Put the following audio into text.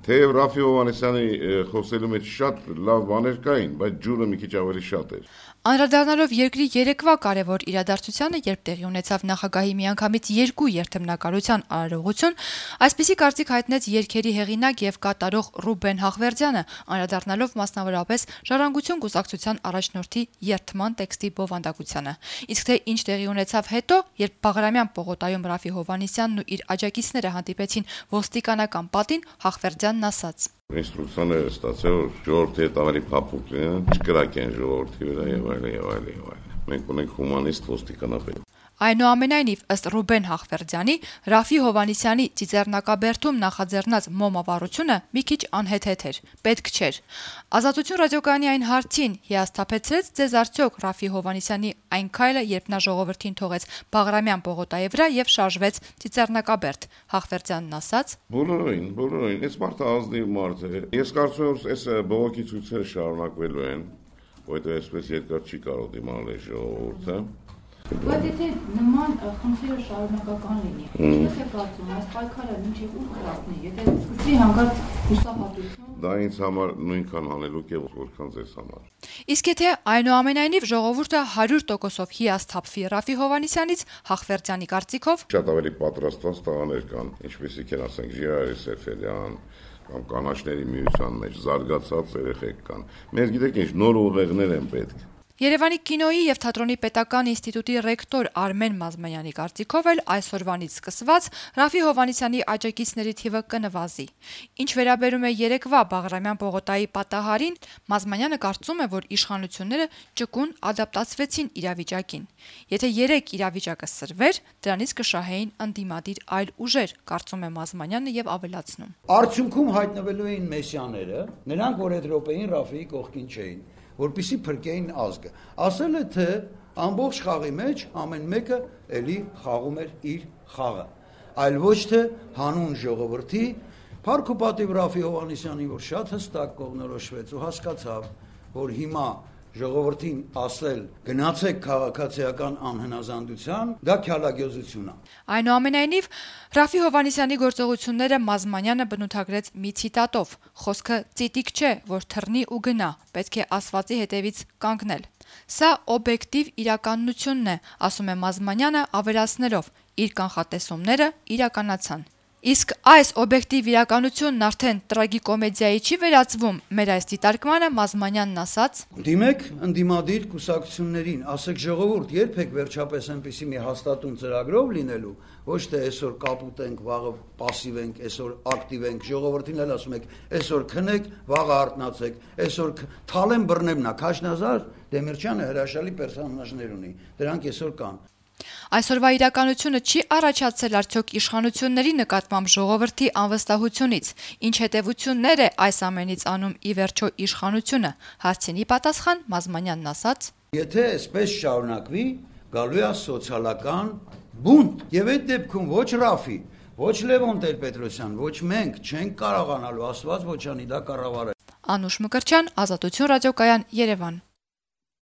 Թեև Ռաֆի Հովհաննիսյանի խոսելու մեջ շատ լավ բաներ կային, բայց ջուրը մի քիչ ավելի շատ էր։ Անդրադառնալով երկրի երեկվա կարևոր իրադարձությանը, երբ տեղի ունեցավ նախագահի միանգամից 2 երթմնակալության արարողություն, այսպիսի կարծիք հայտնեց երգերի հեղինակ եւ կատարող Ռուբեն Հախվերդյանը, անդրադառնալով մասնավորապես Ժառանգություն կուսակցության առաջնորդի երթման տեքստի բովանդակությանը։ Իսկ թե ինչ տեղի ունեցավ հետո, երբ Բաղրամյան պողոտայում Ռաֆի Հովհաննիսյանն ու իր աջակիցները հանդիպեցին ոստիկանական պատին, Հախվերդյանն ասաց. Ինստրուկցիաները ստացել, որ ժողովրդի հետ ավելի փափուկ լինեն, չկրակեն ժողովրդի վրա եւ այլն։ Մենք ունենք հումանիստ ոստիկանապետ։ Այնուամենայնիվ, ըստ Ռուբեն Հախվերդյանի, Ռաֆի Հովհաննիսյանի Ծիծեռնակաբերդում նախաձեռնած մոմավառությունը մի քիչ անհեթեթ էր, պետք չէր։ Ազատություն ռադիոկայանի այն հարցին հիասթափեցրեց ձեզ արդյոք Ռաֆի Հովհաննիսյանի այն քայլը, երբ նա ժողովրդին թողեց Բաղրամյան պողոտայի վրա եւ շարժվեց Ծիծեռնակաբերդ։ Հախվերդյանն ասաց. Բոլորին, այս մարդը ազնիվ մարդ է։ Ես կարծում եմ, այս բողոքի ցույցերը շարունակվելու են, որովհետեւ այսպես երկար չի կարող դիմանալ այս ժողովուրդը։ Բայց եթե նման խնդիրը շարունակական լինի, ինչպես է կարծում, այս պայքարը մինչև ուր կհասնի, եթե սկսվի հանկարծ հուսահատություն։ Դա ինձ համար նույնքան հանելուկ է, որքան ձեզ համար։ Իսկ եթե այնուամենայնիվ ժողովուրդը 100%-ով հիասթափվի Ռաֆի Հովհաննիսյանից, Հախվերդյանի կարծիքով շատ ավելի պատրաստված տղաներ կան, ինչպեսիք են, ասենք, Ժիրայր Սեֆելյան կամ կանաչների միության մեջ զարգացած երեխեք կան։ Մենք գիտեք ինչ, նոր ուղեղներ են պետք։ Երևանի կինոյի եւ թատրոնի պետական ինստիտուտի ռեկտոր Արմեն Մազմանյանի կարծիքով էլ այսօրվանից սկսված Ռաֆի Հովհաննիսյանի աջակիցների թիվը կնվազի։ Ինչ վերաբերում է երեկվա Բաղրամյան պողոտայի պատահարին, Մազմանյանը կարծում է, որ իշխանությունները ճկուն ադապտացվեցին իրավիճակին։ Եթե երեք իրավիճակը սրվեր, դրանից կշահեին ընդդիմադիր այլ ուժեր, կարծում է Մազմանյանը եւ ավելացնում. Արդյունքում հայտնվելու էին մեսիաները, նրանք, որ այդ րոպեին Ռաֆիի կողքին չէին, որպեսզի փրկեին ազգը։ Ասել է, թե ամբողջ խաղի մեջ ամեն մեկը էլի խաղում էր իր խաղը, այլ ոչ թե հանուն ժողովրդի, փառք ու պատիվ Ռաֆի Հովհաննիսյանին, որ շատ հստակ կողմնորոշվեց ու հասկացավ, որ հիմա ժողովրդին ասել գնացեք քաղաքացիական անհնազանդության, դա քյալագյոզություն է։ Այնուամենայնիվ, Ռաֆի Հովհաննիսյանի գործողությունները Մազմանյանը բնութագրեց մի ցիտատով. խոսքը ծիտիկ չէ, որ թռնի ու գնա, պետք է ասվածի հետևից կանգնել։ Սա օբյեկտիվ իրականությունն է, ասում է Մազմանյանը, ավելացնելով. իր կանխատեսումները իրականացան։ Իսկ այս օբյեկտիվ իրականությունն արդեն տրագիկոմեդիայի չի վերածվում, մեր այս դիտարկմանը Մազմանյանն ասաց. Դիմեք ընդդիմադիր կուսակցություններին, ասեք ժողովուրդ, երբեք վերջապես այնպիսի մի հաստատուն ծրագրով լինելու, ոչ թե այսօր կապուտենք, վաղը պասիվ ենք, այսօր ակտիվ ենք, ժողովրդին էլ ասում եք, այսօր քնեք, վաղը արթնացեք, այսօր թալեն բռնեմնա, Քաշնազար Դեմիրճյանը հրաշալի պերսոնաժներ ունի, դրանք այսօր կան։ Այսօրվա իրականությունը չի առաջացել արդյոք իշխանությունների նկատմամբ ժողովրդի անվստահությունից, ինչ հետևություններ է այս ամենից անում ի վերջո իշխանությունը, հարցինի պատասխան Մազմանյանն ասաց. Եթե այսպես շարունակվի, գալու է սոցիալական բունտ, եւ այդ դեպքում ոչ Ռաֆի, ոչ Լևոն Տեր-Պետրոսյան, ոչ մենք չենք կարողանալու, Աստված ոչ անի, դա կառավարել։ Անուշ Մկրտչյան, Ազատություն ռադիոկայան, Երևան։